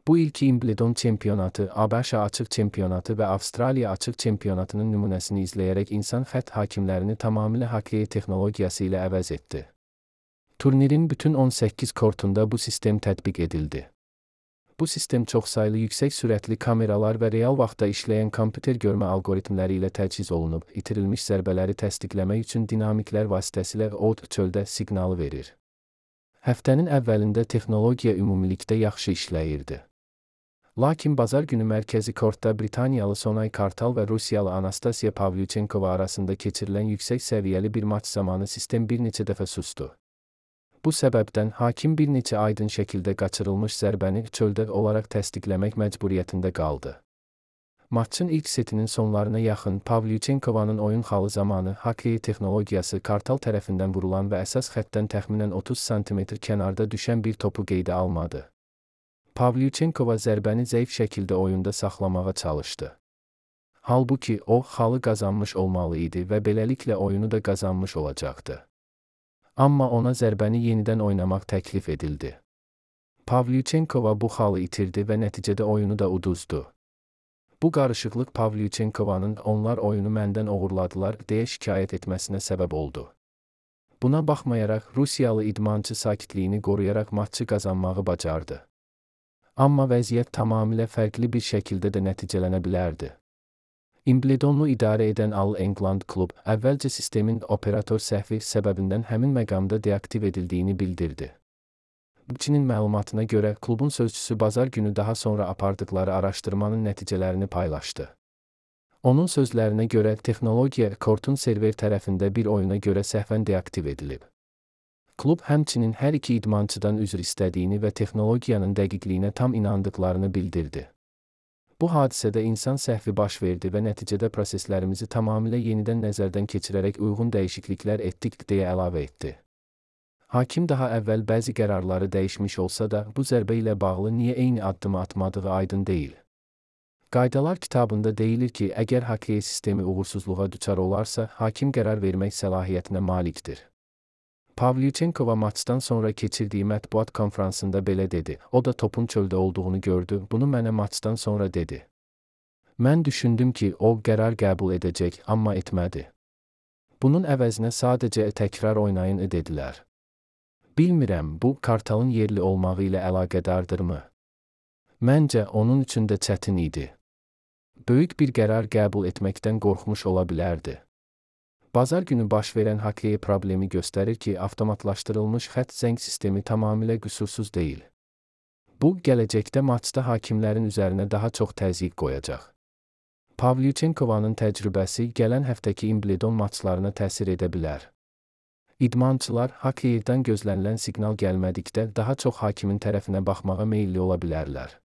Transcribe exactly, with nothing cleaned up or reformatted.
Bu ilki Wimbledon çempionatı, ABŞ açıq çempionatı və Avstraliya açıq çempionatının nümunəsini izləyərək insan xətt hakimlərini tamamilə hokkey texnologiyası ilə əvəz etdi. Turnirin bütün on səkkiz kortunda bu sistem tətbiq edildi. Bu sistem çoxsaylı yüksək sürətli kameralar və real vaxtda işləyən kompüter görmə algoritmləri ilə təchiz olunub, itirilmiş zərbələri təsdiqləmək üçün dinamiklər vasitəsilə od çöldə siqnalı verir. Həftənin əvvəlində texnologiya ümumilikdə yaxşı işləyirdi. Lakin bazar günü mərkəzi kortda Britaniyalı Sonay Kartal və Rusiyalı Anastasiya Pavlyuchenkova arasında keçirilən yüksək səviyyəli bir maç zamanı sistem bir neçə dəfə sustu. Bu səbəbdən hakim bir neçə aydın şəkildə qaçırılmış zərbəni çöldə olaraq təsdiqləmək məcburiyyətində qaldı. Maçın ilk setinin sonlarına yaxın Pavlyuchenkovanın oyun xalı zamanı hokkey texnologiyası Kartal tərəfindən vurulan və əsas xəttdən təxminən otuz santimetr kənarda düşən bir topu qeydə almadı. Pavlyuchenkova zərbəni zəif şəkildə oyunda saxlamağa çalışdı. Halbuki o, xalı qazanmış olmalı idi və beləliklə oyunu da qazanmış olacaqdı. Amma ona zərbəni yenidən oynamaq təklif edildi. Pavlyuchenkova bu xalı itirdi və nəticədə oyunu da uduzdu. Bu qarışıqlıq Pavlyuchenkovanın "onlar oyunu məndən oğurladılar" deyə şikayət etməsinə səbəb oldu. Buna baxmayaraq Rusiyalı idmançı sakitliyini qoruyaraq maçı qazanmağı bacardı. Amma vəziyyət tamamilə fərqli bir şəkildə də nəticələnə bilərdi. Wimbledonu idarə edən All England Club əvvəlcə sistemin operator səhvi səbəbindən həmin məqamda deaktiv edildiyini bildirdi. Bukinin məlumatına görə klubun sözçüsü bazar günü daha sonra apardıqları araşdırmanın nəticələrini paylaşdı. Onun sözlərinə görə texnologiya kortun server tərəfində bir oyuna görə səhvən deaktiv edilib. Klub həmçinin hər iki idmançıdan üzr istədiyini və texnologiyanın dəqiqliyinə tam inandıqlarını bildirdi. Bu hadisədə insan səhvi baş verdi və nəticədə proseslərimizi tamamilə yenidən nəzərdən keçirərək uyğun dəyişikliklər etdik deyə əlavə etdi. Hakim daha əvvəl bəzi qərarları dəyişmiş olsa da, bu zərbə ilə bağlı niyə eyni addımı atmadığı aydın deyil. Qaydalar kitabında deyilir ki, əgər hokkey sistemi uğursuzluğa düçar olarsa, hakim qərar vermək səlahiyyətinə malikdir. Pavlyuchenkova maçdan sonra keçirdiyi mətbuat konfransında belə dedi. O da topun çöldə olduğunu gördü, bunu mənə maçdan sonra dedi. Mən düşündüm ki, o qərar qəbul edəcək, amma etmədi. Bunun əvəzinə sadəcə təkrar oynayın dedilər. Bilmirəm, bu Kartalın yerli olmağı ilə əlaqədardırmı? Məncə, onun üçün də çətin idi. Böyük bir qərar qəbul etməkdən qorxmuş ola bilərdi. Bazar günü baş verən hokkey problemi göstərir ki, avtomatlaşdırılmış xətt zəng sistemi tamamilə qüsursuz deyil. Bu, gələcəkdə maçda hakimlərin üzərinə daha çox təzyiq qoyacaq. Pavlyuchenkovanın təcrübəsi gələn həftəki Wimbledon maçlarına təsir edə bilər. İdmançılar hokkeydən gözlənilən siqnal gəlmədikdə daha çox hakimin tərəfinə baxmağa meyilli ola bilərlər.